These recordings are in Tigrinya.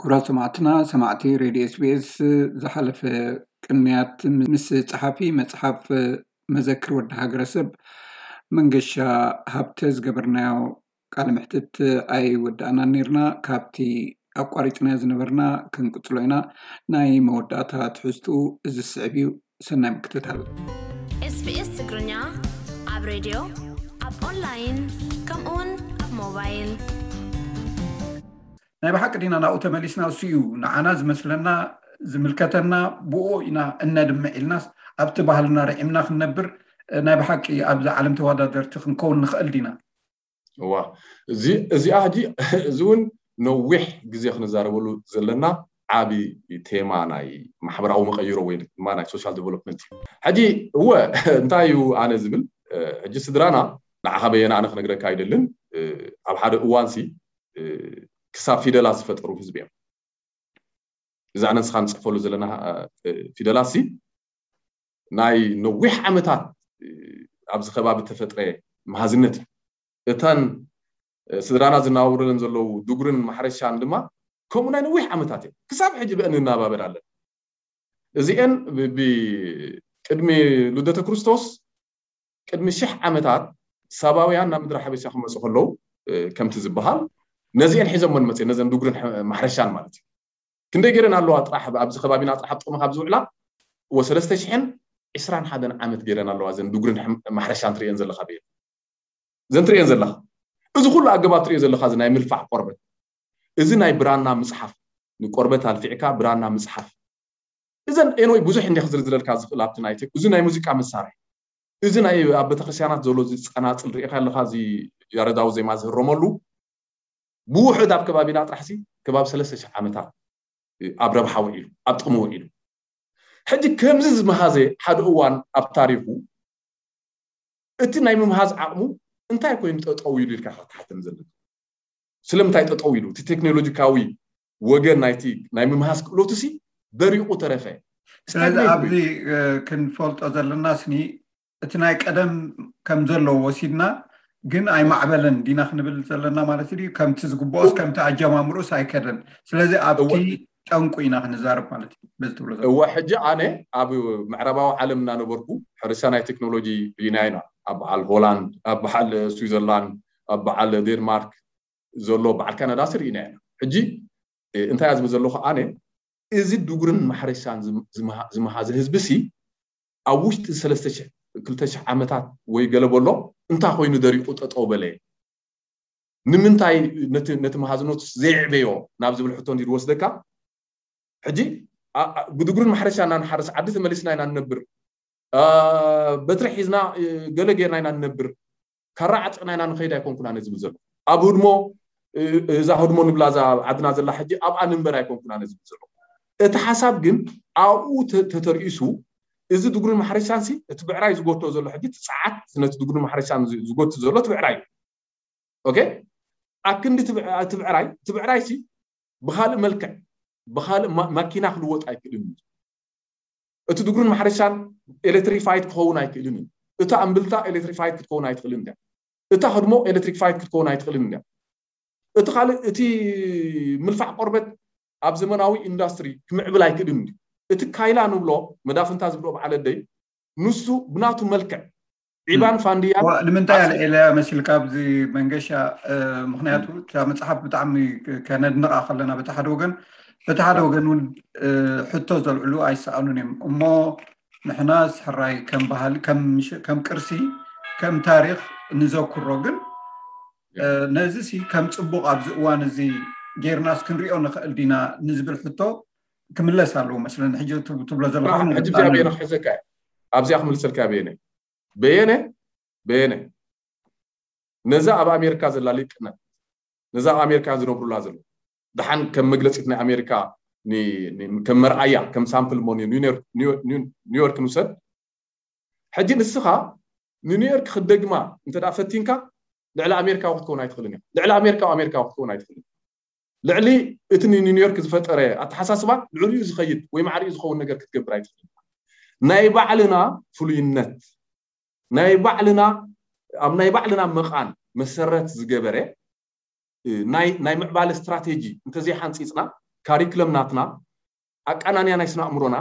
ክቡራት ሰማዕትና፣ ሰማዕቲ ሬድዮ ኤስቢኤስ፣ ዝሓለፈ ቅንያት ምስ ጸሓፊ መጽሓፍ መዘክር ወዲ ሃገረሰብ መንገሻ ሃብተ ዝገበርናዮ ቃለ መሕትት ኣይወዳእናን ነይርና። ካብቲ ኣቋሪጽናዮ ዝነበርና ክንቅጽሎ ኢና። ናይ መወዳእታ ትሕዝትኡ እዚ ዝስዕብ እዩ። ሰናይ ምክትታል። ኤስቢኤስ ትግርኛ ኣብ ሬድዮ፣ ኣብ ኦንላይን፣ ከምኡውን ኣብ ሞባይል። ናይ ብሓቂ ዲና ናብኡ ተመሊስና? እሱ እዩ ንዓና ዝመስለና፣ ዝምልከተና፣ ብኡ ኢና እነድምዕ ኢልናስ ኣብቲ ባህልና ርዒምና ክንነብር፣ ናይ ብሓቂ ኣብዛ ዓለም ተወዳደርቲ ክንከውን ንኽእል ዲና? እዋ፣ እዚ እዚኣ ሕጂ እዚ እውን ነዊሕ ግዜ ክንዛረበሉ ዘለና ዓቢ ቴማ ናይ ማሕበራዊ መቐይሮ ወይ ድማ ናይ ሶሻል ዴቨሎፕመንት እዩ። ሕጂ እወ እንታይ እዩ ኣነ ዝብል፣ ሕጂ ስድራና ንዓኻ በየነ ኣነ ክነግረካ ኣይደልን። ኣብ ሓደ እዋንሲ ክሳብ ፊደላት ዝፈጠሩ ህዝቢ እዮም። እዚ ኣነ ንስኻ ንፅሕፈሉ ዘለና ፊደላት ሲ ናይ ነዊሕ ዓመታት ኣብዚ ከባቢ ተፈጥረ መሃዝነት እዩ። እተን ስድራና ዝናብሩለን ዘለዉ ድጉርን ማሕረሻን ድማ ከምኡ ናይ ነዊሕ ዓመታት እዮም። ክሳብ ሕጂ ብአን ንናባበር ኣለና። እዚአን ቅድሚ ልደተ ክርስቶስ ቅድሚ ሽሕ ዓመታት ሳባውያን ናብ ምድሪ ሓበሻ ክመፁ ከለዉ ከምቲ ዝበሃል ነዚአን ሒዞመን መፅአን፣ ነዘን ድጉርን ማሕረሻን ማለት እዩ። ክንደይ ገይረን ኣለዋ ጥራሕ ኣብዚ ከባቢና ጥራሕ ኣብ ጥቕሚ ካብ ዝውዕላ ወ ሰለስተ ሽሕን ዕስራን ሓደን ዓመት ገይረን ኣለዋ። እዘን ድጉርን ማሕረሻን ትርእየን ዘለኻ ብየን ዘን ትርእየን ዘለኻ እዚ ኩሉ ኣገባብ ትርእዮ ዘለኻ እዚ ናይ ምልፋዕ ቆርበት፣ እዚ ናይ ብራና ምፅሓፍ፣ ንቆርበት ኣልፊዕካ ብራና ምፅሓፍ፣ እዘን ኤንወይ ብዙሕ እንደ ክዝርዝረልካ ዝኽእል ኣብቲ ናይ ቴክ-፣ እዚ ናይ ሙዚቃ መሳርሒ፣ እዚ ናይ ኣብ ቤተክርስትያናት ዘሎ እዚ ጸናጽል ርኢኻ ኣለኻ፣ እዚ ያረዳዊ ዜማ ዝህረመሉ ብውሑድ ኣብ ከባቢና ጥራሕሲ ከባቢ ሰለስተ ሽሕ ዓመታት ኣብ ረብሓ ውዒሉ፣ ኣብ ጥቕሚ ውዒሉ። ሕጂ ከምዚ ዝመሃዘ ሓደ እዋን ኣብ ታሪኹ እቲ ናይ ምምሃዝ ዓቕሙ እንታይ ኮይኑ ጠጠው ኢሉ ኢልካ ክትሓተኒ ዘለካ? ስለምንታይ ጠጠው ኢሉ? እቲ ቴክኖሎጂካዊ ወገን ናይቲ ናይ ምምሃዝ ክእለቱ ሲ ደሪቑ ተረፈ። ስለዚ ኣብዚ ክንፈልጦ ዘለና ስኒ እቲ ናይ ቀደም ከም ዘሎ ወሲድና ግን ኣይማዕበለን ዲና ክንብል ዘለና ማለት እዩ። ከምቲ ዝግብኦስ ከምቲ ኣጀማምሩስ ኣይከደን። ስለዚ ኣብቲ ጠንቁ ኢና ክንዛረብ ማለት እዩ። በዚ ትብሎ ዘሎ። እወ፣ ሕጂ ኣነ ኣብ ምዕራባዊ ዓለም እናነበርኩ ሕርሻ ናይ ቴክኖሎጂ ርኢና ኢና። ኣብ በዓል ሆላንድ፣ ኣብ በዓል ስዊዘርላንድ፣ ኣብ በዓል ዴንማርክ ዘሎ በዓል ካናዳ ሲ ርኢና ኢና። ሕጂ እንታይ እያ ዝብል ዘለኹ ኣነ፣ እዚ ድጉርን ማሕረሻን ዝመሃዘ ህዝቢ ሲ ኣብ ውሽጢ ሰለስተ ሽሕ ክልተ ሽሕ ዓመታት ወይ ገለ በሎ እንታይ ኮይኑ ደሪቑ ጠጠው በለ? ንምንታይ ነቲ ነቲ መሃዝነቱ ዘየዕበዮ ናብ ዝብል ሕቶ እንዲ ዝወስደካ። ሕጂ ብድጉርን ማሕረሻ እና ንሓርስ ዓዲ ተመሊስና ኢና ንነብር፣ በትሪ ሒዝና ገለ ጌርና ኢና ንነብር፣ ካራ ዓጢቕና ኢና ንኸይድ ኣይኮንኩን ኣነ ዝብል ዘሎ። ኣብ ህድሞ እዛ ህድሞ ንብላ እዛ ዓድና ዘላ ሕጂ ኣብኣ ንንበር ኣይኮንኩን ኣነ ዝብል ዘሎ። እቲ ሓሳብ ግን ኣብኡ ተተርኢሱ እዚ ድጉርን ማሕረሻን ሲ እቲ ብዕራይ ዝጎቶ ዘሎ ሕጂ እቲ ጸዓት ነቲ ድጉርን ማሕረሻን ዝጎት ዘሎ እቲ ብዕራይ እዩ። ኦኬ፣ ኣክንዲ እቲ ብዕራይ እቲ ብዕራይ ሲ ብኻልእ መልክዕ ብኻልእ ማኪና ክልወጥ ኣይክእልን እዩ። እቲ ድጉርን ማሕረሻን ኤሌክትሪፋይድ ክኸውን ኣይክእልን እዩ። እታ እምብልታ ኤሌክትሪፋይድ ክትከውን ኣይትኽእልን እያ። እታ ህድሞ ኤሌክትሪፋይድ ክትከውን ኣይትኽእልን እያ። እቲ ካልእ እቲ ምልፋዕ ቆርበት ኣብ ዘመናዊ ኢንዳስትሪ ክምዕብል ኣይክእልን እዩ። እቲ ካይላ ንብሎ መዳፍንታ ዝብሎ በዓል ኣደይ ንሱ ብናቱ መልክዕ ዒባን ፋንድያን ንምንታይ ኣልዒለ መሲልካ ኣብዚ መንገሻ? ምክንያቱ እታ መፅሓፍ ብጣዕሚ ከነድንቃ ከለና በቲ ሓደ ወገን በቲ ሓደ ወገን እውን ሕቶ ዘልዕሉ ኣይሰኣኑን እዮም እሞ ንሕናስ ሕራይ ከም ባህል ከም ቅርሲ ከም ታሪክ ንዘክሮ ግን ነዚ ሲ ከም ፅቡቅ ኣብዚ እዋን እዚ ጌርናስ ክንሪኦ ንኽእል ዲና ንዝብል ሕቶ ክምለስ ኣለዎ መስለኒ። ሕጂ ትብሎ ዘለኹ ሕጂ ብዛዕባ በየነ ክሕዘካ እየ። ኣብዚኣ ክምልሰልካ በየነ በየነ በየነ ነዛ ኣብ ኣሜሪካ ዘላ ሊቅነት ነዛ ኣብ ኣሜሪካ ዝነብሩላ ዘሎ ደሓን ከም መግለፂት ናይ ኣሜሪካ ከም መርኣያ ከም ሳምፕል ሞ ኒውዮርክ ንውሰድ። ሕጂ ንስኻ ንኒውዮርክ ክደግማ እንተ ፈቲንካ ልዕሊ ኣሜሪካዊ ክትከውን ኣይትኽእልን ኢኻ። ልዕሊ ኣሜሪካዊ ኣሜሪካዊ ክትከውን ኣይትኽእልን። ልዕሊ እቲ ንኒውዮርክ ዝፈጠረ ኣተሓሳስባ ልዕሊኡ ዝኸይድ ወይ ማዕሪኡ ዝኸውን ነገር ክትገብር ኣይትኽእልን። ናይ ባዕልና ፍሉይነት ናይ ባዕልና ኣብ ናይ ባዕልና መቓን መሰረት ዝገበረ ናይ ምዕባለ ስትራቴጂ እንተዘይሓንፂፅና ካሪክለም ናትና፣ ኣቃናንያ ናይ ስነ ኣእምሮና፣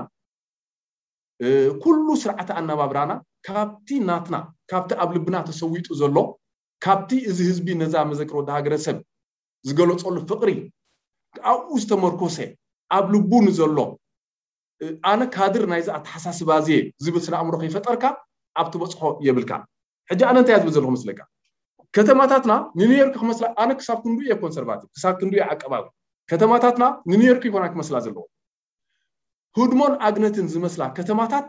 ኩሉ ስርዓተ ኣነባብራና ካብቲ ናትና፣ ካብቲ ኣብ ልብና ተሰዊጡ ዘሎ፣ ካብቲ እዚ ህዝቢ ነዛ መዘክር ወዲ ሃገረሰብ ዝገለጸሉ ፍቕሪ፣ ኣብኡ ዝተመርኮሰ፣ ኣብ ልቡ ንዘሎ፣ ኣነ ካድር ናይዚ ኣተሓሳስባ እዚ ዝብል ስነ ኣእምሮ ከይፈጠርካ ኣብ ትበፅሖ የብልካ። ሕጂ ኣነ እንታይ ዝብል ዘለኹ መስለካ? ከተማታትና ንኒውዮርክ ክመስላ፣ ኣነ ክሳብ ክንዱ እየ ኮንሰርቫቲቭ፣ ክሳብ ክንዱ እየ ዓቀባዊ። ከተማታትና ንኒውዮርክ ይኮና ክመስላ ዘለዎ። ህድሞን ኣግነትን ዝመስላ ከተማታት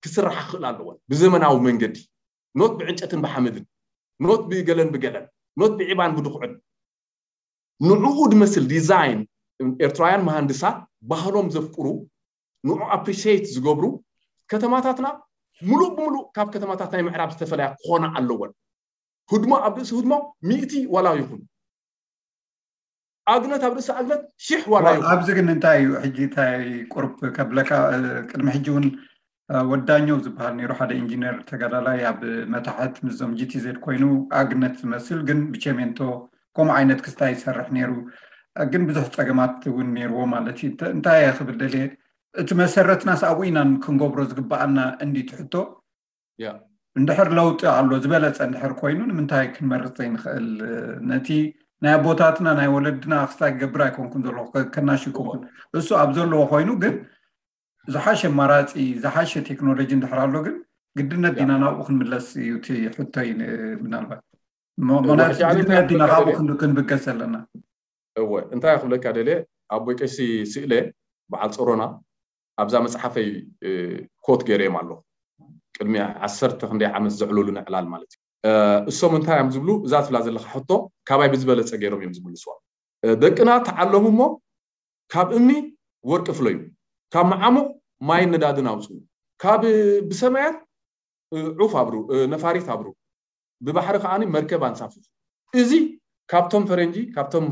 ክስራሓ ክኽእል ኣለዎን ብዘመናዊ መንገዲ፣ ኖት ብዕንጨትን ብሓመድን፣ ኖት ብገለን ብገለን፣ ኖት ብዒባን ብድኹዕን። ንዕኡ ድመስል ዲዛይን፣ ኤርትራውያን መሃንድሳት ባህሎም ዘፍቅሩ፣ ንዑ ኣፕሪሽት ዝገብሩ። ከተማታትና ሙሉእ ብሙሉእ ካብ ከተማታት ናይ ምዕራብ ዝተፈለያ ክኾና ኣለወን። ህድሞ ኣብ ርእሲ ህድሞ ሚእቲ ዋላ ይኹን፣ ኣግነት ኣብ ርእሲ ኣግነት ሽሕ ዋላ ይኹን። ኣብዚ ግን እንታይ እዩ ሕጂ እንታይ ቁርብ ከብለካ፣ ቅድሚ ሕጂ እውን ወዳኘው ዝበሃል ነይሩ፣ ሓደ ኢንጂነር ተጋዳላይ ኣብ መታሕት ምስዞም ጂቲዜድ ኮይኑ፣ ኣግነት ዝመስል ግን ብቸሜንቶ ከምኡ ዓይነት ክስታይ ይሰርሕ ነይሩ። ግን ብዙሕ ፀገማት እውን ነይርዎ ማለት እዩ። እንታይ እየ ክብል ደልየ፣ እቲ መሰረትናስ ኣብኡ ኢና ክንገብሮ ዝግበኣና እንዲ ትሕቶ። እንድሕር ለውጢ ኣሎ ዝበለፀ እንድሕር ኮይኑ ንምንታይ ክንመርፅ ዘይንኽእል? ነቲ ናይ ኣቦታትና ናይ ወለድና ክስታይ ክገብር ኣይኮንኩን ዘለኹ፣ ከናሽ ይኮንኩን። እሱ ኣብ ዘለዎ ኮይኑ ግን ዝሓሸ ኣማራፂ፣ ዝሓሸ ቴክኖሎጂ እንድሕር ኣሎ ግን ግድነት ዲና ናብኡ ክንምለስ እዩ እቲ ሕቶይ። ምናልባት ምክንያቱ ግድነት ዲና ካብኡ ክንብገስ ዘለና። እወ፣ እንታይ ክብለካ ደልየ፣ ኣቦይ ቀሺ ስእለ በዓል ጾሮና ኣብዛ መጽሓፈይ ኮት ገይረዮም ኣለኹ። ቅድሚ ዓሰርተ ክንደይ ዓመት ዘዕለሉኒ ዕላል ማለት እዩ። እሶም እንታይ እዮም ዝብሉ? እዛ ትብላ ዘለኻ ሕቶ ካባይ ብዝበለጸ ገይሮም እዮም ዝምልስዋ። ደቅና ተዓለሙ እሞ ካብ እምኒ ወርቂ ፍለዩ፣ ካብ መዓሙቕ ማይን ነዳድን ኣውፅኡ፣ ካብ ብሰማያት ዑፍ ኣብሩ፣ ነፋሪት ኣብሩ፣ ብባሕሪ ከዓኒ መርከብ ኣንሳፍፉ። እዚ ካብቶም ፈረንጂ፣ ካብቶም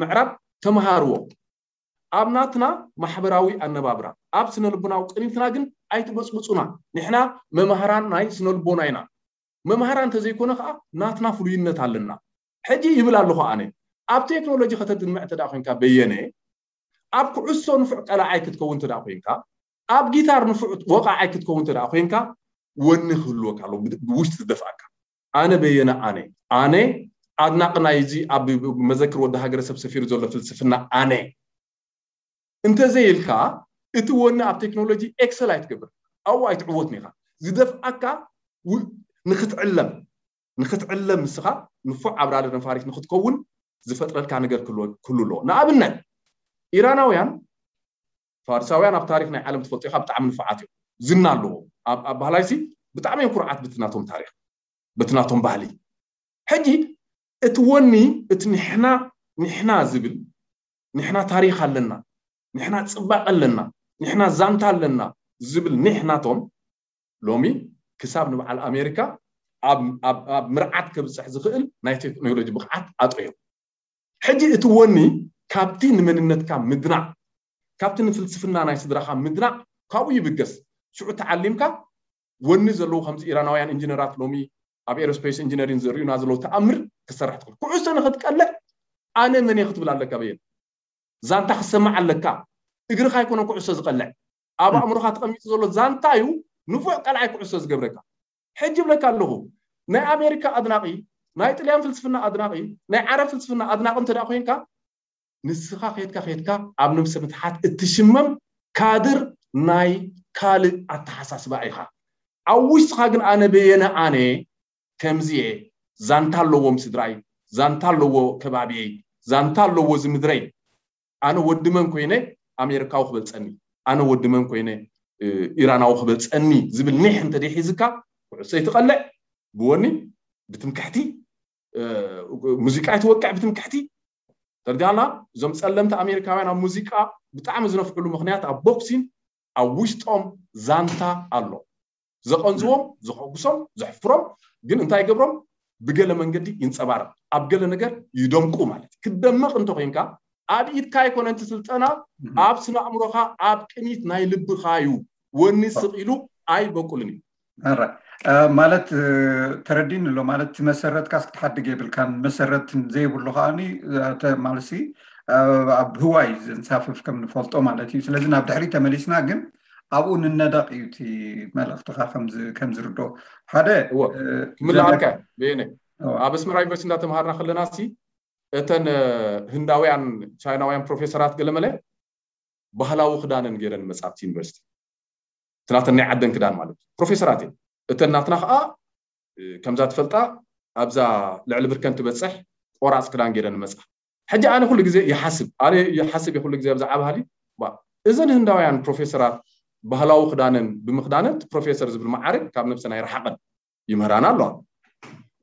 ምዕራብ ተምሃርዎ። ኣብ ናትና ማሕበራዊ ኣነባብራ፣ ኣብ ስነ ልቦናዊ ቅኒትና ግን ኣይትበፅብፁና። ንሕና መማህራን ናይ ስነ ልቦና ኢና። መማህራን እንተዘይኮነ ከዓ ናትና ፍሉይነት ኣለና። ሕጂ ይብል ኣለኹ ኣነ፣ ኣብ ቴክኖሎጂ ከተድምዕ እንተ ኮይንካ በየነ፣ ኣብ ኩዕሶ ንፉዕ ቀላዓይ ክትከውን እንተ ኮይንካ፣ ኣብ ጊታር ንፉዕ ወቃዓይ ክትከውን እንተ ኮይንካ፣ ወኒ ክህልወካ ኣሎ፣ ብውሽጢ ዝደፍኣካ። ኣነ በየነ ኣነ፣ ኣነ ኣድናቂ ናይዚ ኣብ መዘክር ወዲ ሃገረሰብ ሰፊሩ ዘሎ ፍልስፍና ኣነ። እንተዘይኢልካ፣ እቲ ወኒ ኣብ ቴክኖሎጂ ኤክሰል ኣይትገብር፣ ኣብኡ ኣይትዕወትን ኢኻ። ዝደፍኣካ ንክትዕለም፣ ንክትዕለም ንስኻ ንፉዕ ኣብራሪ ነፋሪት ንክትከውን ዝፈጥረልካ ነገር ክህሉ ኣለዎ። ንኣብነት፣ ኢራናውያን፣ ፋርሳውያን ኣብ ታሪክ ናይ ዓለም ትፈልጦ ኢኻ፣ ብጣዕሚ ንፉዓት እዮም፣ ዝና ኣለዎም። ኣብ ባህላይሲ ብጣዕሚ እዮም ኩርዓት ብትናቶም ታሪክ፣ ብትናቶም ባህሊ። ሕጂ እቲ ወኒ፣ እቲ ንሕና፣ ንሕና ዝብል፣ ንሕና ታሪክ ኣለና፣ ንሕና ጽባቐ ኣለና፣ ንሕና ዛንታ ኣለና ዝብል ንሕናቶም ሎሚ ክሳብ ንበዓል ኣሜሪካ ኣብ ምርዓት ከብፅሕ ዝኽእል ናይ ቴክኖሎጂ ብቕዓት ኣጥርዮም። ሕጂ እቲ ወኒ ካብቲ ንመንነትካ ምድናቕ፣ ካብቲ ንፍልስፍና ናይ ስድራኻ ምድናቕ ካብኡ ይብገስ። ሽዑ ተዓሊምካ ወኒ ዘለዉ ከምዚ ኢራናውያን ኢንጂነራት ሎሚ ኣብ ኤሮስፔስ ኢንጂነሪን ዘርእዩና ዘለዉ ተኣምር ክትሰርሕ ትኽእል። ኩዕሶ ንኽትቀልዕ ኣነ መን እየ ክትብል ኣለካ በየን። ዛንታ ክትሰምዕ ኣለካ። እግርኻ ኣይኮነን ኩዕሶ ዝቀልዕ፣ ኣብ ኣእምሮኻ ተቐሚጡ ዘሎ ዛንታ እዩ ንፉዕ ቀልዓይ ኩዕሶ ዝገብረካ። ሕጂ እብለካ ኣለኹ፣ ናይ ኣሜሪካ ኣድናቒ፣ ናይ ጥልያን ፍልስፍና ኣድናቒ፣ ናይ ዓረብ ፍልስፍና ኣድናቒ እንተ ኮይንካ፣ ንስኻ ከድካ ከድካ ኣብ ነብሰ ምትሓት እትሽመም ካድር ናይ ካልእ ኣተሓሳስባ ኢኻ። ኣብ ውሽጥኻ ግን ኣነ በየነ ኣነ ከምዚየ፣ ዛንታ ኣለዎም ስድራይ፣ ዛንታ ኣለዎ ከባቢየይ፣ ዛንታ ኣለዎ እዚ ምድረይ። ኣነ ወዲ መን ኮይነ ኣሜሪካዊ ክበልፀኒ፣ ኣነ ወዲ መን ኮይነ ኢራናዊ ክበልፀኒ ዝብል ኒሕ እንተደይ ሒዝካ፣ ኩዕሶ ይትቐልዕ ብወኒ፣ ብትምክሕቲ፣ ሙዚቃ ይትወቅዕ ብትምክሕቲ። ተርዲኣና። እዞም ፀለምቲ ኣሜሪካውያን ኣብ ሙዚቃ ብጣዕሚ ዝነፍዕሉ ምክንያት ኣብ ቦክሲን ኣብ ውሽጦም ዛንታ ኣሎ። ዘቐንዝዎም፣ ዘኸጉሶም፣ ዘሕፍሮም፣ ግን እንታይ ይገብሮም? ብገለ መንገዲ ይንፀባረቕ፣ ኣብ ገለ ነገር ይደምቁ ማለት እዩ። ክትደምቕ እንተኮይንካ ኣብ ኢድካ ኣይኮነን እቲ ስልጠና፣ ኣብ ስነ ኣእምሮኻ፣ ኣብ ቅኒት ናይ ልብኻ እዩ። ወኒ ስቕ ኢሉ ኣይበቁልን እዩ። ማለት ተረዲኒ ኣሎ። ማለት እቲ መሰረትካስ ክትሓድግ የብልካን። መሰረት ዘይብሉ ከዓኒ ማለትሲ ኣብ ህዋ እዩ ዘንሳፍፍ ከም ንፈልጦ ማለት እዩ። ስለዚ ናብ ድሕሪት ተመሊስና ግን ኣብኡ ንነደቕ እዩ እቲ መልእኽትኻ ከም ዝርድኦ። ሓደ ክምልኣልካ ብየነ ኣብ ኣስመራ ዩኒቨርሲቲ እንዳተምሃርና ከለና ሲ እተን ህንዳውያን ቻይናውያን ፕሮፌሰራት ገለመለ ባህላዊ ክዳነን ገይረን መፃ ኣብቲ ዩኒቨርሲቲ። እቲ ናተን ናይ ዓደን ክዳን ማለት እዩ። ፕሮፌሰራት እየን። እተን ናትና ከዓ ከምዛ ትፈልጣ ኣብዛ ልዕሊ ብርከን ትበፅሕ ቆራፅ ክዳን ገይረን መፃ። ሕጂ ኣነ ኩሉ ግዜ ይሓስብ ኣነ ይሓስብ ኩሉ ግዜ ኣብዛ ዓባህሊ እዘን ህንዳውያን ፕሮፌሰራት ባህላዊ ክዳነን ብምክዳነን ፕሮፌሰር ዝብል መዓርግ ካብ ነብሰን ኣይረሓቐን ይምህራና ኣለዋ።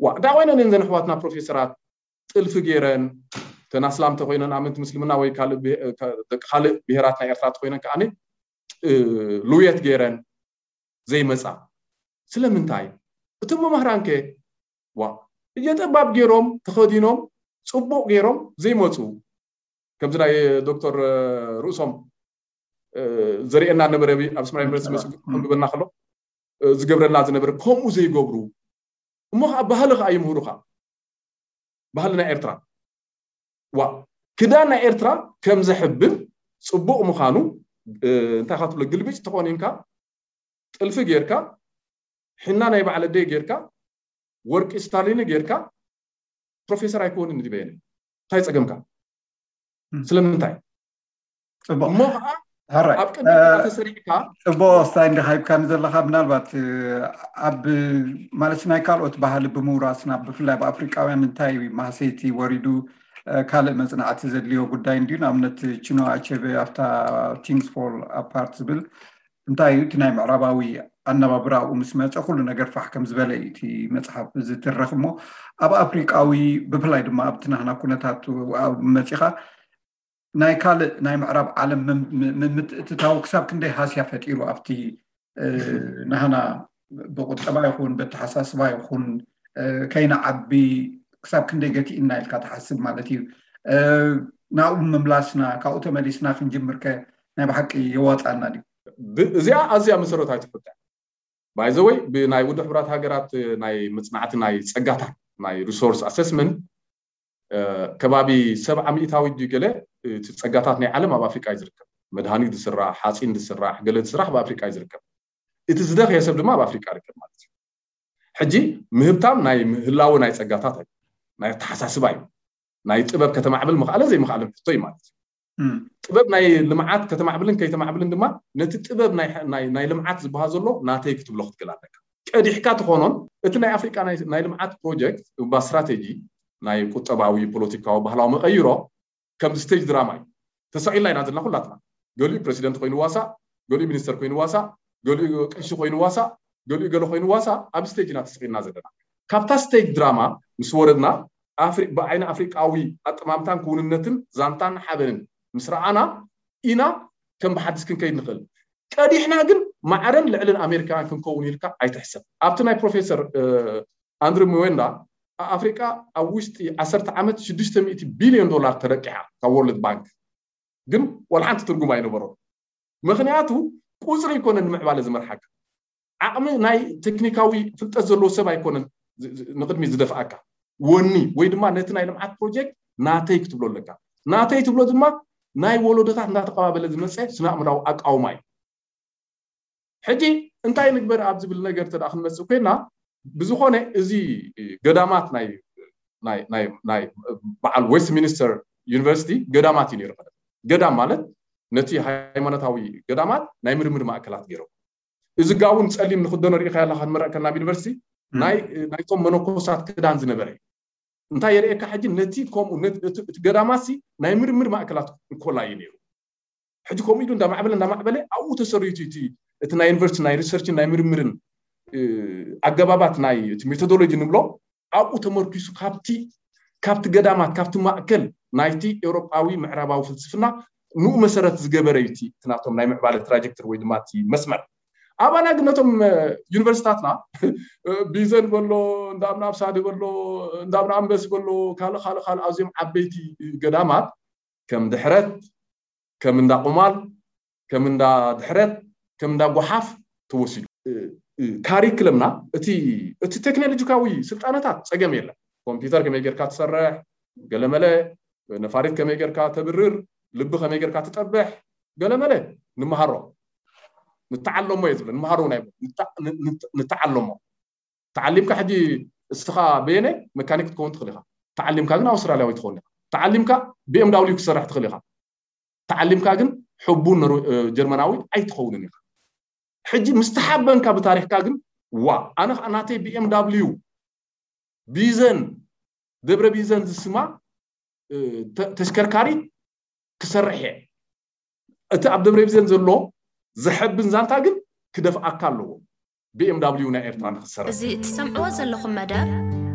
ዋ እንታይ ኮይነን እዘን ኣሕዋትና ፕሮፌሰራት ጥልፊ ገይረን ተናስላምተ ኮይነን ኣመንቲ ምስልምና ወይ ካልእ ካልእ ብሄራት ናይ ኤርትራ ኮይነን ከዓ ልውየት ገይረን ዘይመፃ ስለምንታይ? እቶም መምህራን ከ ዋ እጀ ጠባብ ገይሮም ተኸዲኖም ፅቡቕ ገይሮም ዘይመፁ ከምዚ ናይ ዶክተር ርእሶም ዘርእየና ነበረ ኣብ ኣስመራ ዩኒቨርሲቲ መፅኡ ከንብበና ከሎ ዝገብረና ዝነበረ ከምኡ ዘይገብሩ እሞ ከዓ ባህሊ ከዓ ይምህሩካ ባህሊ ናይ ኤርትራ ዋ ክዳን ናይ ኤርትራ ከም ዘሕብን ፅቡቕ ምዃኑ እንታይ ካብ ትብሎ ግልብጭ ተኾኒንካ ጥልፊ ጌርካ ሕና ናይ በዓል ኣደይ ጌርካ ወርቂ ስታሊኒ ጌርካ ፕሮፌሰር ኣይኮንን ድበየነ እንታይ ፀገምካ ስለምንታይ ፅቡቅ እሞ ከዓ ሕራይ ኣብ ቅድሚት ተሰሪዕካ ፅቡቅ ስታይ እንዲካ ሂብካኒ ዘለካ ምናልባት ኣብ ማለት ናይ ካልኦት ባህሊ ብምውራስ ናብ ብፍላይ ኣብ ኣፍሪቃውያን እንታይ ማህሰይቲ ወሪዱ ካልእ መፅናዕቲ ዘድልዮ ጉዳይ እንድዩ ንኣብነት ቺኖ ኣቸበ ኣብታ things fall apart ዝብል እንታይ እዩ እቲ ናይ ምዕራባዊ ኣነባብራኡ ምስ መፀ ኩሉ ነገር ፋሕ ከም ዝበለ እዩ እቲ መፅሓፍ ዝትረክ እሞ ኣብ ኣፍሪቃዊ ብፍላይ ድማ ኣብቲ ናህና ኩነታት መፂኻ ናይ ካልእ ናይ ምዕራብ ዓለም ምምትእትታው ክሳብ ክንደይ ሃስያ ፈጢሩ ኣብቲ ናህና ብቁጠባ ይኹን በተሓሳስባ ይኹን ከይንዓቢ ክሳብ ክንደይ ገቲእና ኢልካ ትሓስብ ማለት እዩ ናብኡ ምምላስና ካብኡ ተመሊስና ክንጅምርከ ናይ ብሓቂ የዋፃና ድዩ እዚኣ ኣዝያ መሰረታዊ ትፍታ ባይዘወይ ብናይ ውድብ ሕብራት ሃገራት ናይ መፅናዕቲ ናይ ፀጋታት ናይ resource assessment ከባቢ ሰብዓ ሚእታዊት ድዩ ገለ እቲ ፀጋታት ናይ ዓለም ኣብ ኣፍሪቃ እዩ ዝርከብ መድሃኒት ዝስራሕ ሓፂን ዝስራሕ ገለ ዝስራሕ ኣብ ኣፍሪቃ እዩ ዝርከብ እቲ ዝደኸየ ሰብ ድማ ኣብ ኣፍሪቃ ይርከብ ማለት እዩ ሕጂ ምህብታም ናይ ምህላወ ናይ ፀጋታት እዩ ናይ ኣተሓሳስባ እዩ ናይ ጥበብ ከተማዕብል ምኽኣለ ዘይምኽኣልን ሕቶ እዩ ማለት እዩ ጥበብ ናይ ልምዓት ከተማዕብልን ከይተማዕብልን ድማ ነቲ ጥበብ ናይ ልምዓት ዝበሃል ዘሎ ናተይ ክትብሎ ክትክእል ኣለካ ቀዲሕካ ትኾኖን እቲ ናይ ኣፍሪቃ ናይ ልምዓት ፕሮጀክት እባ ስትራቴጂ ናይ ቁጠባዊ ፖለቲካዊ ባህላዊ መቐይሮ ከም stage drama እዩ ተሰቂልና ኢና ዘለና ኩላትና ገሊኡ ፕረሲደንት ኮይኑ ዋሳ ገሊኡ ሚኒስተር ኮይኑ ዋሳ ገሊኡ ቅርሺ ኮይኑ ዋሳ ገሊኡ ገለ ኮይኑ ዋሳ ኣብ stage ኢና ተሰቂልና ዘለና ካብታ stage drama ምስ ወረድና ብዓይኒ ኣፍሪቃዊ ኣጠማምታን ክውንነትን ዛንታን ሓበንን ምስ ረኣና ኢና ከም ብሓድሽ ክንከይድ ንኽእል ቀዲሕና ግን ማዕረን ልዕልን ኣሜሪካውያን ክንከውን ኢልካ ኣይትሕሰብ ኣብቲ ናይ ፕሮፌሰር ኣንድሩ ሚወንዳ ኣፍሪቃ ኣብ ውሽጢ ዓሰርተ ዓመት ሽዱሽተ ሚእቲ ቢልዮን ዶላር ተረቂሓ ካብ ወርልድ ባንክ ግን ዋላ ሓንቲ ትርጉም ኣይነበሮን ምኽንያቱ ቁፅሪ ኣይኮነን ንምዕባለ ዝመርሓካ ዓቕሚ ናይ ቴክኒካዊ ፍልጠት ዘለዎ ሰብ ኣይኮነን ንቅድሚት ዝደፍኣካ ወኒ ወይ ድማ ነቲ ናይ ልምዓት ፕሮጀክት ናተይ ክትብሎ ኣለካ ናተይ ትብሎ ድማ ናይ ወለዶታት እንዳተቀባበለ ዝመፀ ስነ ኣእምራዊ ኣቃውማ እዩ ሕጂ እንታይ ንግበር ኣብ ዝብል ነገር ተዳ ክንመፅእ ኮይና ብዝኾነ እዚ ገዳማት ናይ በዓል ዌስት ሚኒስተር ዩኒቨርሲቲ ገዳማት እዩ ነይሩ ገዳም ማለት ነቲ ሃይማኖታዊ ገዳማት ናይ ምርምር ማእከላት ገይሮም እዚ ጋውን ፀሊም ንክደኖ ርኢካ ያለካ ንመረቀ ናብ ዩኒቨርሲቲ ናይቶም መነኮሳት ክዳን ዝነበረ እንታይ የርእየካ ሕጂ ነቲ ከምኡ እቲ ገዳማሲ ናይ ምርምር ማእከላት ኮላ እዩ ነይሩ ሕጂ ከምኡ ኢሉ እንዳማዕበለ እንዳማዕበለ ኣብኡ ተሰሪቱ እቲ እቲ ናይ ዩኒቨርሲቲ ናይ ሪሰርችን ናይ ምርምርን ኣገባባት ናይ እቲ ሜቶዶሎጂ ንብሎ ኣብኡ ተመርኪሱ ካብቲ ካብቲ ገዳማት ካብቲ ማእከል ናይቲ ኤውሮጳዊ ምዕራባዊ ፍልስፍና ንኡ መሰረት ዝገበረ እዩ እቲ ናቶም ናይ ምዕባለ ትራጀክተር ወይ ድማ እቲ መስመር ኣባና ግን ነቶም ዩኒቨርሲታትና ቢዘን በሎ እንዳብና ኣብሳዲ በሎ እንዳብና ኣንበሲ በሎ ካልእ ካልእ ካልእ ኣዝዮም ዓበይቲ ገዳማት ከም ድሕረት ከም እንዳ ቁማል ከም እንዳ ድሕረት ከም እንዳ ጓሓፍ ተወሲዱ ካሪክለምና እቲ እቲ ቴክኖሎጂካዊ ስልጣነታት ፀገም የለን ኮምፒውተር ከመይ ጌርካ ትሰርሕ ገለመለ ነፋሪት ከመይ ጌርካ ተብርር፣ ልቢ ከመይ ጌርካ ትጠብሕ፣ ገለመለ። ንምሃሮ፣ ንተዓለሞ እየ ዝብለ። ንምሃሮ ናይ ንተ- ን- ንተ- ንተዓለሞ። ተዓሊምካ ሕጂ እስኻ በየነ መካኒክ ክትከውን ትኽእል ኢኻ። ተዓሊምካ ግን ኣውስትራልያዊ ትኸውን ኢኻ። ተዓሊምካ ቢ ኤም ዳብሊው ክትሰርሕ ትኽእል ኢኻ። ተዓሊምካ ግን ሕቡን ኖር- እ፣ ጀርመናዊ ኣይትኸውንን ኢኻ። ሕጂ ምስ ተሓበንካ ብታሪኽካ ግን፣ ዋ፣ ኣነ ኸዓ ናተይ ቢ ኤም ዳብሊው ቢዘን፣ ደብረ ቢዘን ዝስማ እ፣ ተ- ተሽከርካሪት ክሰርሕ እየ። እቲ ኣብ ደብረ ቢዘን ዘሎ ዘሐብን ዛንታ ግን ክደፍኣካ ኣለዎ። ቢ ኤም ዳብሊው ናይ ኤርትራ ንክትሰርሕ። እዚ እትሰምዕዎ ዘለኹም መደብ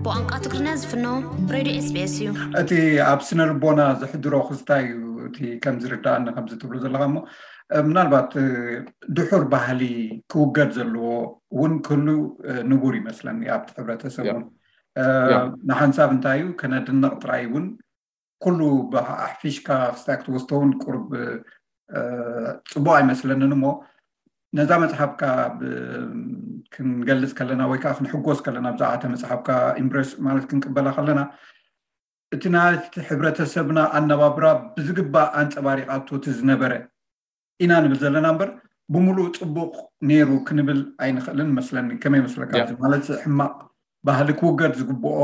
ብቋንቋ ትግርኛ ዝፍኖ ሬድዮ ኤስ ቢ ኤስ እዩ። እቲ ኣብ ስነ ልቦና ዘሕድሮ ክስታይ እዩ። እቲ ከም ዝርዳእኒ ከምዚ ትብሉ ዘለኻ እሞ፣ እ፣ ምናልባት፣ እ፣ ድሑር ባህሊ ክውገድ ዘለዎ እውን ክህሉ፣ እ፣ ንቡር ይመስለኒ ኣብቲ ሕብረተሰብ ያ። እውን። እ፣ ያ። ንሓንሳብ እንታይ እዩ ከነድንቕ ጥራይ እውን ኩሉ ብኣሕፊሽካ ክስታይ ክትወስቶ እውን ቁርብ፣ እ፣ ጽቡቕ ኣይመስለንን እሞ፣ ነዛ መጽሓፍካ ብ- ክንገልጽ ከለና ወይ ከዓ ክንሕጎስ ከለና ብዛዕባ እታ መጽሓፍካ ኢምብረስ ማለት ክንቅበላ ከለና፣ እቲ ናይቲ ሕብረተሰብና ኣነባብራ ብዝግባእ ኣንጸባሪቓቶ እቲ ዝነበረ ኢና ንብል ዘለና እምበር፣ ብምሉእ ጽቡቕ ነይሩ ክንብል ኣይንኽእልን መስለኒ። ከመይ መስለካ? ያ። እዚ ማለት ሕማቕ ባህሊ ክውገድ ዝግብኦ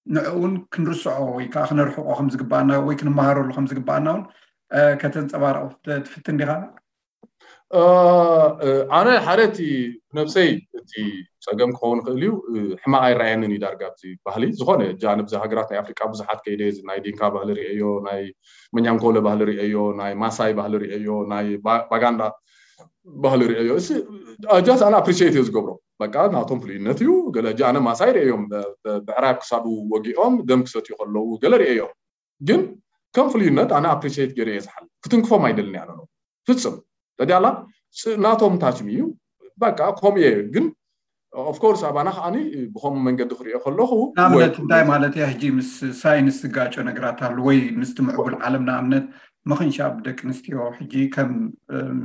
ንዕኡን ክንርስዖ ወይ ከዓ ክነርሕቆ ከም ዝግባኣና ወይ ክንመሃረሉ ከም ዝግባኣና እውን፣ እ፣ ከተንጸባርቕ ትፍትን ዲኻ? እ፣ እ፣ ኣነ ሓደ እቲ ብነብሰይ እቲ ጸገም ክኸውን ይኽእል እዩ፣ እ፣ ሕማቕ ኣይረኣየንን እዩ ዳርጋ ኣብዚ ባህሊ። ዝኾነ ጃንብ እዚ ሃገራት ናይ ኣፍሪቃ ብዙሓት ከይደ፣ እዚ ናይ ዲንካ ባህሊ ርእየዮ፣ ናይ መኛንኮለ ባህሊ ርእየዮ፣ ናይ ማሳይ ባህሊ ርእየዮ፣ ናይ ባ- ባጋንዳ ባህሊ ርእየዮ። እሲ ጃስ ኣነ ኣፕሪሺየት እየ ዝገብሮ። በቃ ናቶም ፍሉይነት እዩ። ገለ ሕጂ ኣነ ማሳይ ርእዮም ብ- ብ- ብዕራይ ኣብ ክሳዱ ወጊኦም ደም ክሰትዩ ከለዉ ገለ ርእየዮም። ግን ከም ፍሉይነት ኣነ ኣፕሪሺየት ገይረ እየ ዝሓልፍ። ክትንክፎም ኣይደልን እየ ኣነ። ፍጽም ተዲኣላ ስ- ናቶም ታችም እዩ። በቃ ከምኡ እየ። ግን ኦፍኮርስ ኣባና ከዓኒ ብኸምኡ መንገዲ ክሪኦ ከለኹ ንኣብነት ወይ- እንታይ ማለት እያ? ሕጂ ምስ ሳይንስ ዝጋጮ ነገራት ኣሎ ወይ ምስቲ ምዕቡል ዓለም ንኣብነት ምኽንሻብ ደቂ ኣንስትዮ ሕጂ ከም፣ እም፣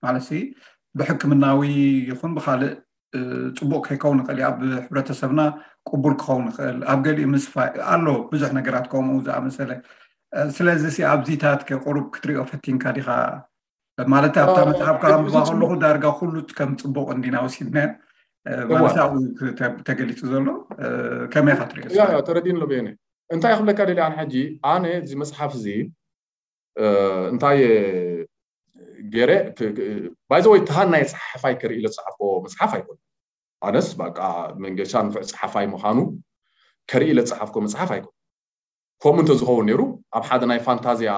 ማለት ሲ ብሕክምናዊ ይኹን ብኻልእ፣ እ፣ ጽቡቕ ከይከውን ይኽእል እዩ። ኣብ ሕብረተሰብና ቅቡል ክኸውን ይኽእል፣ ኣብ ገሊኡ ምስፋ ኣሎ፣ ብዙሕ ነገራት ከምኡ ዝኣመሰለ። እ፣ ስለዚ ሲ ኣብዚታት ከ ቁሩብ ክትሪኦ ፈቲንካ ዲኻ? ማለት ኣብታ እ፣ መጽሓፍካ እዚ ኣንብባ ጽቡቕ ከለኹ ዳርጋ ኩሉ ከም ጽቡቕ እንዲና ወሲድናዮ። እ፣ እወ። ማለት ኣብኡ ተ- ተገሊጹ ዘሎ፣ እ፣ ከመይ ኢኻ ትሪኦ? ያ ያ ተረዲን ሎ በየነ። እንታይ ክብለካ ደሊ ኣነ ሕጂ ኣነ እዚ መጽሓፍ እዚ እ፣ እንታይ ገይረ ባይዘወይ ተሃናይ ጸሓፋይ ከርኢ ኢለ ዝጸሓፍኮ መጽሓፍ ኣይኮን። ኣነስ በቃ መንገሻ ንፉዕ ጸሓፋይ ምዃኑ ከርኢ ኢለ ዝጸሓፍኮ መጽሓፍ ኣይኮን። ከምኡ እንተዝኸውን ነይሩ ኣብ ሓደ ናይ ፋንታዝያ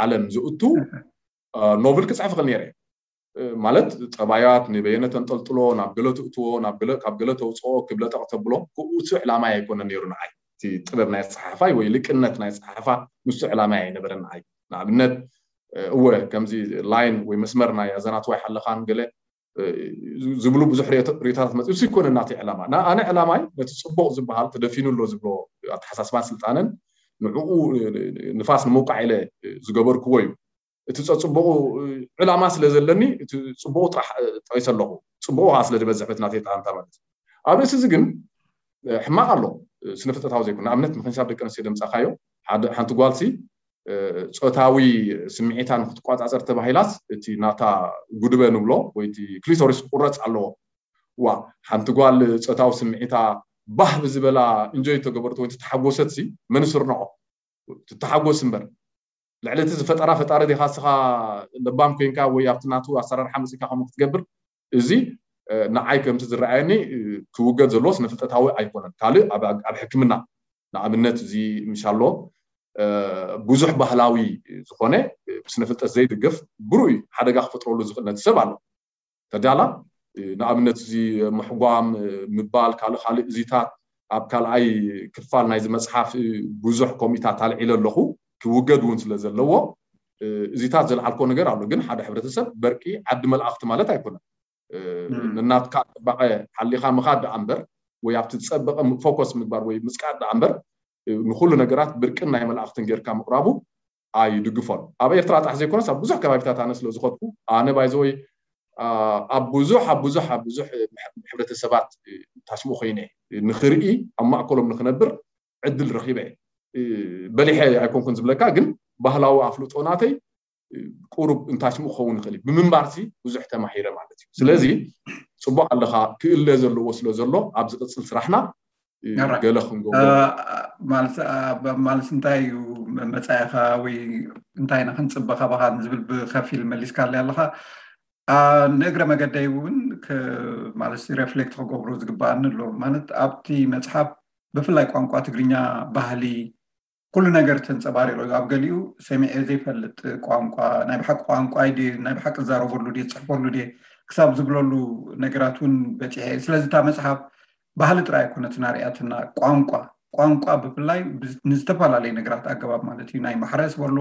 ዓለም ዝእቱ እ፣ ኖቭል ክጽሕፍ ክእል ነይረ። እ፣ ማለት ጠባያት ንበየነ ተንጠልጥሎ፣ ናብ ገለ ትእትዎ፣ ናብ ገለ ካብ ገለ ተውጽኦ፣ ክብለጠ ክተብሎ። ክኡ እሱ ዕላማይ ኣይኮነ ነይሩ ንዓይ። እቲ ጥበብ ናይ ኣጸሓሕፋይ ወይ ልቅነት ናይ ኣጸሓሕፋ ንሱ ዕላማይ ኣይነበረን ንዓይ። ንኣብነት እ፣ እወ ከምዚ ላይን ወይ መስመር ናይ ኣዘናትዋይ ሓለኻን ገለ እ፣ ዝብሉ ብዙሕ ርእይቶ- ርእይቶታት መጽኡ። እሱ ይኮነ ናተይ ዕላማ። ና- ኣነ ዕላማይ ነቲ ጽቡቕ ዝበሃል ተደፊኑ ኣሎ ዝብሎ ኣተሓሳስባን ስልጣንን ንዕኡ እ፣ ንፋስ ንምውቃዕ ኢለ ዝገበርክዎ እዩ። እቲ ጸጽቡቑ ዕላማ ስለ ዘለኒ እቲ ጽቡቑ ጥራሕ ጠቒሰ ኣለኹ። ጽቡቑ ከዓ ስለ ዝበዝሕ በቲ ናተይ ጠዓምታ ማለት እዩ። ኣብ ርእሲ እዚ ግን ሕማቕ ኣሎ፣ ስነ ፍልጠታዊ ዘይኮነ። ንኣብነት ምኽንሻብ ደቂ ኣንስትዮ ደምጻኻዮ፣ ሓደ ሓንቲ ጓልሲ ጾታዊ ስምዒታ ንክትቋጻጸር ተባሂላስ እቲ ናታ ጉድበ ንብሎ ወይ እቲ ክሊቶሪስ ክቁረጽ ኣለዎ። ዋ ሓንቲ ጓል ጾታዊ ስምዒታ ባህ ብዝበላ እንጆይ ተገበርቶ ወይ ተሓጎሰትሲ መን ስርንዖ? ትተሓጎስ እምበር ልዕሊ እቲ ዝፈጠራ ፈጣሪ ዲኻ እስኻ ለባም ኮይንካ ወይ ኣብቲ ናቱ ኣሰራርሓ መፂካ ከምኡ ክትገብር? እዚ ንዓይ ከምቲ ዝረኣየኒ ክውገድ ዘለዎ ስነፍልጠታዊ ኣይኮነን። ካልእ ኣብ ሕክምና ንኣብነት እዚ ምሻሎ ብዙሕ ባህላዊ ዝኾነ ብስነፍልጠት ዘይድገፍ ብሩይ ሓደጋ ክፈጥረሉ ዝኽእል ነቲ ሰብ ኣሎ። ተዳላ ንኣብነት እዚ ምሕጓም ምባል ካልእ ካልእ እዚታት ኣብ ካልኣይ ክፋል ናይዚ መፅሓፍ ብዙሕ ኮሚታት ኣልዒለ ኣለኹ። ክውገድ እውን ስለ ዘለዎ እዚታት ዘልዓልኮ ነገር ኣሎ። ግን ሓደ ሕብረተሰብ በርቂ ዓዲ መላእኽቲ ማለት ኣይኮነን። ነናትካ ፅባቐ ሓሊኻ ምኻድ ደኣ እምበር ወይ ኣብቲ ዝፀበቐ ፎከስ ምግባር ወይ ምፅቃጥ ደኣ እምበር ንኩሉ ነገራት ብርቅን ናይ መላእኽትን ጌርካ ምቕራቡ ኣይድግፎን። ኣብ ኤርትራ ጥራሕ ዘይኮነስ ኣብ ብዙሕ ከባቢታት ኣነ ስለ ዝኸድኩ ኣነ ባይዘወይ ኣብ ብዙሕ ኣብ ብዙሕ ኣብ ብዙሕ ሕብረተሰባት ታሽሙ ኮይነ ንክርኢ ኣብ ማእከሎም ንክነብር ዕድል ረኺበ። በሊሐ ኣይኮንኩን ዝብለካ፣ ግን ባህላዊ ኣፍልጦ ናተይ ቁሩብ እንታች ክኸውን ይኽእል እዩ። ብምንባርሲ ብዙሕ ተማሂረ ማለት እዩ። ስለዚ ጽቡቕ ኣለኻ፣ ክእለ ዘለዎ ስለ ዘሎ ኣብ ዝቕጽል ስራሕና ገለ ክንገብሮ ማለት እንታይ እዩ መፃኢኻ ወይ እንታይ ኢና ክንፅበ ካባኻ ዝብል ብከፊል መሊስካለይ ኣለኻ። ንእግረ መገደይ እውን ማለት ሬፍሌክት ክገብሮ ዝግባኣኒ ኣሎ። ማለት ኣብቲ መፅሓፍ ብፍላይ ቋንቋ ትግርኛ ባህሊ ኩሉ ነገር ተንፀባሪቑ እዩ። ኣብ ገሊኡ ሰሚዐ ዘይፈልጥ ቋንቋ ናይ ብሓቂ ቋንቋ ናይ ብሓቂ ዝዛረበሉ ድየ ዝፅሕፈሉ ድየ ክሳብ ዝብለሉ ነገራት እውን በፂሐ እየ። ስለዚ እታ መፅሓፍ ባህሊ ጥራይ ኣይኮነትን ኣርእያትና፣ ቋንቋ ቋንቋ ብፍላይ ንዝተፈላለዩ ነገራት ኣገባብ ማለት እዩ። ናይ ማሕረስ በሎ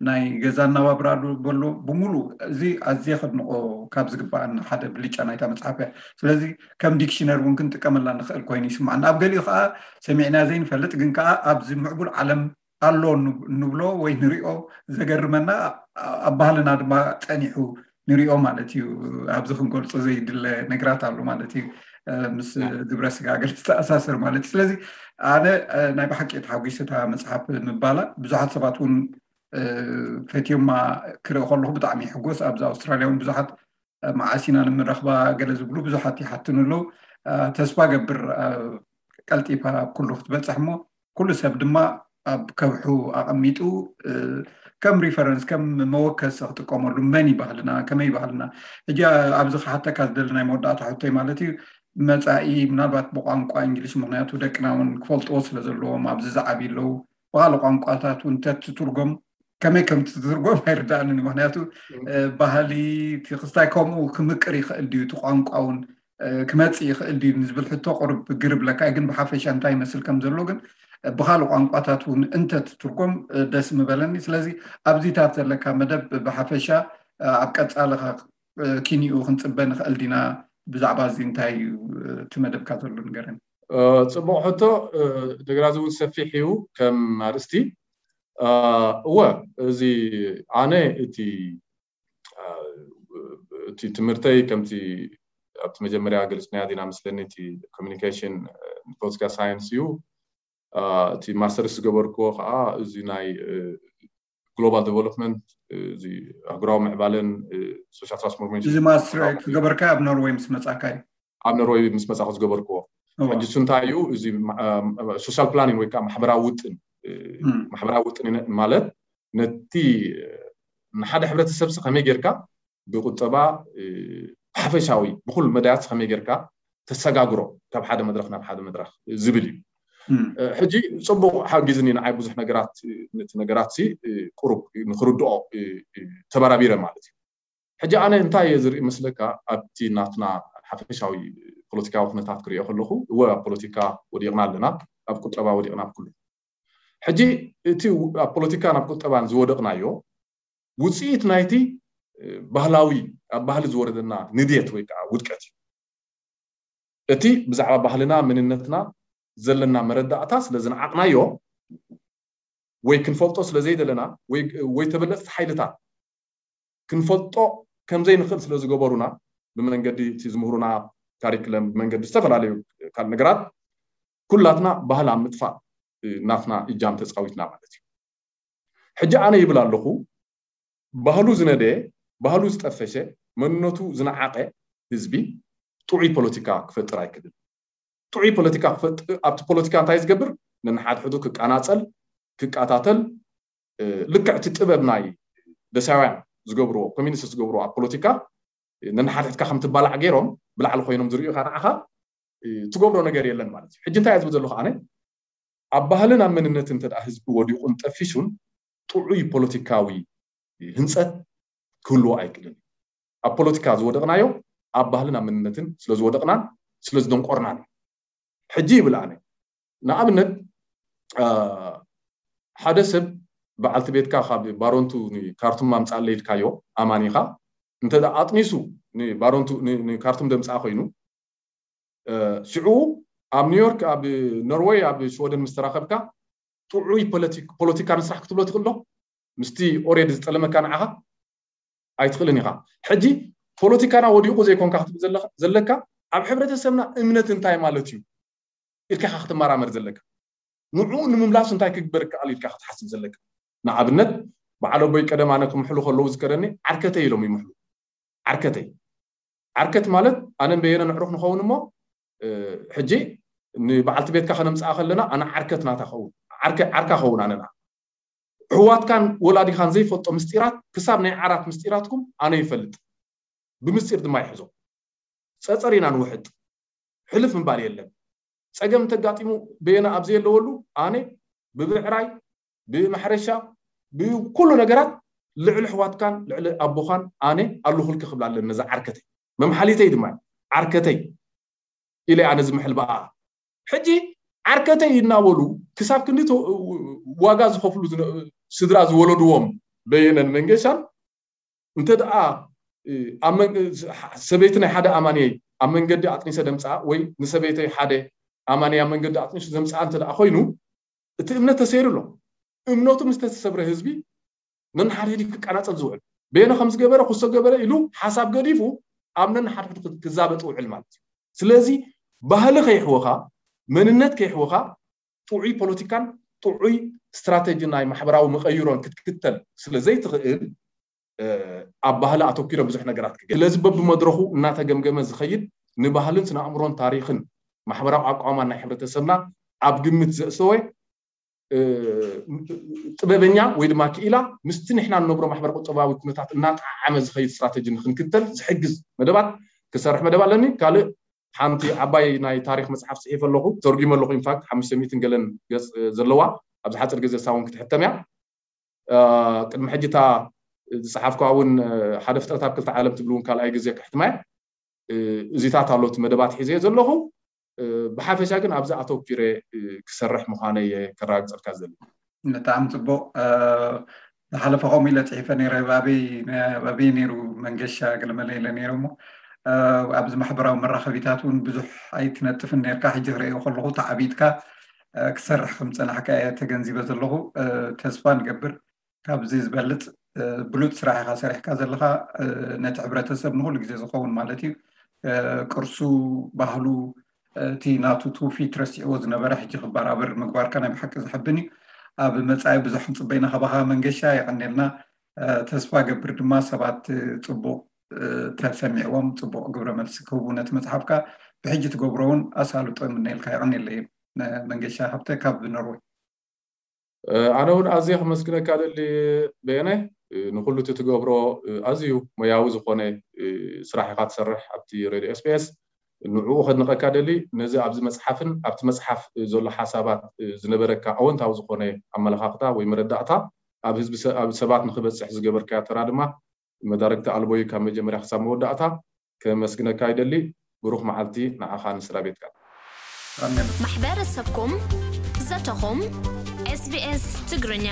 ናይ ገዛ እናባብራሉ በሎ ብምሉእ እዚ ኣዝየ ከድንቆ ካብ ዝግባኣና ሓደ ብልጫ ናይታ መፅሓፍ እያ። ስለዚ ከም ዲክሽነር እውን ክንጥቀመላ ንኽእል ኮይኑ ይስማዓና። ኣብ ገሊኡ ከዓ ሰሚዕና ዘይንፈልጥ ግን ከዓ ኣብዚ ምዕቡል ዓለም ኣሎ ንብሎ ወይ ንሪኦ ዘገርመና ኣብ ባህልና ድማ ፀኒሑ ንሪኦ ማለት እዩ። ኣብዚ ክንገልፆ ዘይድለ ነገራት ኣሎ ማለት እዩ። ምስ ግብረ ስጋ ገለ ዝተኣሳሰር ማለት እዩ። ስለዚ ኣነ ናይ ብሓቂ ተሓጒሰ እታ መፅሓፍ ምባላ። ብዙሓት ሰባት እውን ፈትዮማ ክርኢ ከለኹ ብጣዕሚ ይሕጎስ። ኣብዚ ኣውስትራልያ እውን ብዙሓት መዓስ ኢና ንምረኽባ ገለ ዝብሉ ብዙሓት ይሓትኑ ኣለዉ። ተስፋ ገብር ቀልጢፋ ኩሉ ክትበፅሕ እሞ ኩሉ ሰብ ድማ ኣብ ከብሑ ኣቐሚጡ ከም ሪፈረንስ ከም መወከሲ ክጥቀመሉ መን ይባህልና ከመይ ይባህልና። ሕጂ ኣብዚ ክሓተካ ዝደሊ ናይ መወዳእታ ሕቶይ ማለት እዩ መፃኢ ምናልባት ብቋንቋ እንግሊሽ ምክንያቱ ደቅና እውን ክፈልጥዎ ስለ ዘለዎም ኣብዚ ዝዓብዩ ኣለዉ ብካልእ ቋንቋታት እውን ተትትርጎም ከመይ ከም ትትርጎም ኣይርዳእንን። ምክንያቱ ባህሊ ክስታይ ከምኡ ክምቅር ይኽእል ድዩ እቲ ቋንቋ እውን ክመፅእ ይኽእል ድዩ ንዝብል ሕቶ ቁርብ ግርብለካ ግን ብሓፈሻ እንታይ ይመስል ከም ዘሎ ግን ብካልእ ቋንቋታት እውን እንተ ትትርጎም ደስ ምበለኒ። ስለዚ ኣብዚታት ዘለካ መደብ ብሓፈሻ ኣብ ቀፃልኻ ኪኒኡ ክንፅበ ንኽእል ዲና? ብዛዕባ እዚ እንታይ እዩ እቲ መደብካ ዘሎ ንገረኒ። ፅቡቕ ሕቶ። ደግራዚ እውን ሰፊሕ እዩ ከም ኣርእስቲ። እወ፣ እዚ ኣነ እቲ እቲ ትምህርተይ ከምቲ ኣብቲ መጀመርያ ገሊፅናዮ ዲና መስለኒ እቲ ኮሚኒኬሽን ፖለቲካ ሳይንስ እዩ። እቲ ማስተርስ ዝገበርክዎ ከዓ እዚ ናይ ግሎባል ዴቨሎፕመንት፣ እዚ ኣህጉራዊ ምዕባለን ሶሻል ትራንስፎርሜሽን። እዚ ማስተር ክገበርካ ኣብ ኖርወይ ምስ መፃካ እዩ? ኣብ ኖርወይ ምስ መፃኩ ዝገበርክዎ። ሕጂ እሱ እንታይ እዩ? እዚ ሶሻል ፕላኒንግ ወይ ከዓ ማሕበራዊ ውጥን። ማሕበራዊ ውጥን ማለት ነቲ ንሓደ ሕብረተሰብ ከመይ ጌርካ ብቁጠባ ብሓፈሻዊ ብኩሉ መዳያት ከመይ ጌርካ ተሰጋግሮ ካብ ሓደ መድረክ ናብ ሓደ መድረክ ዝብል እዩ። ሕጂ ፅቡቅ ሓጊዝኒ ንዓይ ብዙሕ ነገራት ነቲ ነገራት ቁሩብ ንክርድኦ ተበራቢረ ማለት እዩ። ሕጂ ኣነ እንታይ እየ ዝርኢ መስለካ ኣብቲ ናትና ሓፈሻዊ ፖለቲካዊ ኩነታት ክሪኦ ከለኩ እወ ኣብ ፖለቲካ ወዲቕና ኣለና፣ ኣብ ቁጠባ ወዲቕና ኣብ ኩሉ። ሕጂ እቲ ኣብ ፖለቲካን ኣብ ቁጠባን ዝወደቕናዮ ውፅኢት ናይቲ ባህላዊ ኣብ ባህሊ ዝወረደና ንድየት ወይ ከዓ ውድቀት እዩ። እቲ ብዛዕባ ባህልና መንነትና ዘለና መረዳእታ ስለ ዝነዓቕናዮ ወይ ክንፈልጦ ስለ ዘይደለና ወይ ተበለፅቲ ሓይልታት ክንፈልጦ ከምዘይንኽእል ስለ ዝገበሩና ብመንገዲ እቲ ዝምህሩና ካሪክለም ብመንገዲ ዝተፈላለዩ ካልእ ነገራት ኩላትና ባህሊ ኣብ ምጥፋእ ናትና እጃም ተፃዊትና ማለት እዩ። ሕጂ ኣነ ይብል ኣለኹ ባህሉ ዝነደየ ባህሉ ዝጠፈሸ መንነቱ ዝነዓቐ ህዝቢ ጥዑይ ፖለቲካ ክፈጥር ኣይክልን። ጥዑይ ፖለቲካ ክፈጥር ኣብቲ ፖለቲካ እንታይ ዝገብር ነንሓድሕዱ ክቃናፀል ክቃታተል ልክዕ እቲ ጥበብ ናይ ደሳውያን ዝገብርዎ ኮሚኒስት ዝገብርዎ ኣብ ፖለቲካ ነንሓድሕድካ ከም ትባላዕ ገይሮም ብላዕሊ ኮይኖም ዝርእዩካ ንዓኻ ትገብሮ ነገር የለን ማለት እዩ። ሕጂ እንታይ እየ ዝብል ዘለኹ ኣነ ኣብ ባህልን ኣብ መንነትን እንተ ህዝቢ ወዲቑን ጠፊሹን ጥዑይ ፖለቲካዊ ህንፀት ክህልዎ ኣይክልን። ኣብ ፖለቲካ ዝወደቕናዮ ኣብ ባህልን ኣብ መንነትን ስለ ዝወደቕናን ስለ ዝደንቆርናን ሕጂ ይብል ኣነ ንኣብነት ሓደ ሰብ በዓልቲ ቤትካ ካብ ባሮንቱ ንካርቱም ኣምፃኣለይ ኢልካዮ ኣማኒኻ እንተ ኣጥኒሱ ንባሮንቱ ንካርቱም ደምፅኣ ኮይኑ ሽዑ ኣብ ኒውዮርክ ኣብ ኖርወይ ኣብ ሽወደን ምስ ተራኸብካ ጥዑይ ፖለቲካ ንስራሕ ክትብሎ ትኽእል ዶ? ምስቲ ኦሬዲ ዝጠለመካ ንዓኻ ኣይትኽእልን ኢኻ። ሕጂ ፖለቲካና ወዲቑ ዘይኮንካ ክትብል ዘለካ ኣብ ሕብረተሰብና እምነት እንታይ ማለት እዩ ኢልካ ኢኻ ክትመራመር ዘለካ። ንዕኡ ንምምላስ እንታይ ክግበር ይከኣል ኢልካ ክትሓስብ ዘለካ። ንኣብነት በዓል ኣቦይ ቀደም ኣነ ክምሕሉ ከለዉ ዝከረኒ ዓርከተይ ኢሎም ይምሕሉ። ዓርከተይ ዓርከት ማለት ኣነን በየነ ንዕሩኽ ንኸውን እሞ ሕጂ ንበዓልቲ ቤትካ ከነምፅኣ ከለና ኣነ ዓርከት ናታ ኸውን ዓርካ ኸውን ኣነና ሕዋትካን ወላዲኻን ዘይፈልጦ ምስጢራት ክሳብ ናይ ዓራት ምስጢራትኩም ኣነ ይፈልጥ ብምስጢር ድማ ይሕዞ ፀፀር ኢና ንውሕጥ ሕልፍ ምባል የለን ፀገም እንተጋጢሙ በየነ ኣብ ዘየለወሉ ኣነ ብብዕራይ ብማሕረሻ ብኩሉ ነገራት ልዕሊ ኣሕዋትካን ልዕሊ ኣቦኻን ኣነ ኣለኹልኪ ክብላ ኣለኒ ነዛ ዓርከተይ መምሓሊተይ ድማ ዓርከተይ ኢለ ኣነ ዝምሕል በኣ ሕጂ ዓርከተይ እናበሉ ክሳብ ክንዲ ዋጋ ዝኸፍሉ ስድራ ዝወለድዎም በየነን መንገሻን እንተ ደኣ ሰበይቲ ናይ ሓደ ኣማንየይ ኣብ መንገዲ ኣጥኒሰ ደምፅኣ ወይ ንሰበይተይ ሓደ ኣማንያ መንገዲ ኣጥኒሱ ዘምፅኣ እንተ ደኣ ኮይኑ እቲ እምነት ተሰይሩ ኣሎ እምነቱ ምስ ተተሰብረ ህዝቢ ነንሓድሕዲ ክቀናፀል ዝውዕል በየነ ከም ዝገበረ ክሶ ገበረ ኢሉ ሓሳብ ገዲፉ ኣብ ነንሓድሕዱ ክዛበጥ ውዕል ማለት እዩ ስለዚ ባህሊ ከይሕወኻ መንነት ከይሕወኻ ጥዑይ ፖለቲካን ጥዑይ ስትራተጂ ናይ ማሕበራዊ መቐይሮን ክትክተል ስለ ዘይትኽእል ኣብ ባህሊ ኣተኪረ ብዙሕ ነገራት ክገ ስለዚ በብመድረኹ እናተገምገመ ዝኸይድ ንባህልን ስነ ኣእምሮን ታሪኽን ማሕበራዊ ኣቋማን ናይ ሕብረተሰብና ኣብ ግምት ዘእተወ ጥበበኛ ወይ ድማ ክኢላ ምስቲ ንሕና ንነብሮ ማሕበረ ቁጠባዊ ኩነታት እናጠዓዓመ ዝኸይድ ስትራተጂ ንክንክተል ዝሕግዝ መደባት ክሰርሕ መደብ ኣለኒ ካልእ ሓንቲ ዓባይ ናይ ታሪክ መፅሓፍ ፅሒፈ ኣለኹ ተርጉመ ኣለኹ ኢንፋክት ሓሙሽተ ሚእትን ገለን ገፅ ዘለዋ ኣብዚ ሓፂር ግዜ ሳውን ክትሕተም እያ ቅድሚ ሕጂ እታ ዝፀሓፍኳ እውን ሓደ ፍጥረት ኣብ ክልተ ዓለም ትብል እውን ካልኣይ ግዜ ክሕትማ እዚታት ኣሎ እቲ መደባት ሒዘ ዘለኹ ብሓፈሻ ግን ኣብዚ ኣተኪረ ክሰርሕ ምዃነ እየ ከረጋግፀልካ ዝደሊ ብጣዕሚ ፅቡቅ ዝሓለፈ ከምኡ ኢለ ፅሒፈ ነይረ ኣበይ ነይሩ መንገሻ ገለመለ ኢለ ነይረ እሞ ኣብዚ ማሕበራዊ መራኸቢታት እውን ብዙሕ ኣይትነጥፍን ነርካ ሕጂ ክርእዮ ከለኹ ተዓቢጥካ ክሰርሕ ከም ዝፀናሕካ እየ ተገንዚበ ዘለኹ ተስፋ ንገብር ካብዚ ዝበልፅ ብሉፅ ስራሕ ኢካ ሰሪሕካ ዘለካ ነቲ ሕብረተሰብ ንኩሉ ግዜ ዝኸውን ማለት እዩ ቅርሱ ባህሉ እቲ ናቱ ትውፊት ረሲዕዎ ዝነበረ ሕጂ ክበራብር ምግባርካ ናይ ብሓቂ ዘሐብን እዩ ኣብ መፃኢ ብዙሕ ንፅበይና ካባካ መንገሻ የቀኔልና ተስፋ ገብር ድማ ሰባት ፅቡቅ ተሰሚዕዎም ፅቡቅ ግብረ መልሲ ክህቡ ነቲ መፅሓፍካ ብሕጂ ትገብሮ እውን ኣሳልጦ የምነየልካ የቀኔለይ መንገሻ ሃብተ ካብ ኖርወይ ኣነ እውን ኣዝየ ከመስግነካ ደሊ በየነ ንኩሉ እቲ ትገብሮ ኣዝዩ ሞያዊ ዝኾነ ስራሕ ኢኻ ትሰርሕ ኣብቲ ሬድዮ ኤስቢኤስ ንዕኡ ከድንቐካ ደሊ ነዚ ኣብዚ መፅሓፍን ኣብቲ መፅሓፍ ዘሎ ሓሳባት ዝነበረካ ኣወንታዊ ዝኾነ ኣመለኻኽታ ወይ መረዳእታ ኣብ ህዝቢ ኣብ ሰባት ንክበፅሕ ዝገበርካዮ ተራ ድማ መዳርግቲ ኣልቦ እዩ ካብ መጀመርያ ክሳብ መወዳእታ ከመስግነካ ይደሊ ብሩኽ መዓልቲ ንዓኻ ንስድራ ቤትካ ማሕበረሰብኩም ዘተኹም ኤስቢኤስ ትግርኛ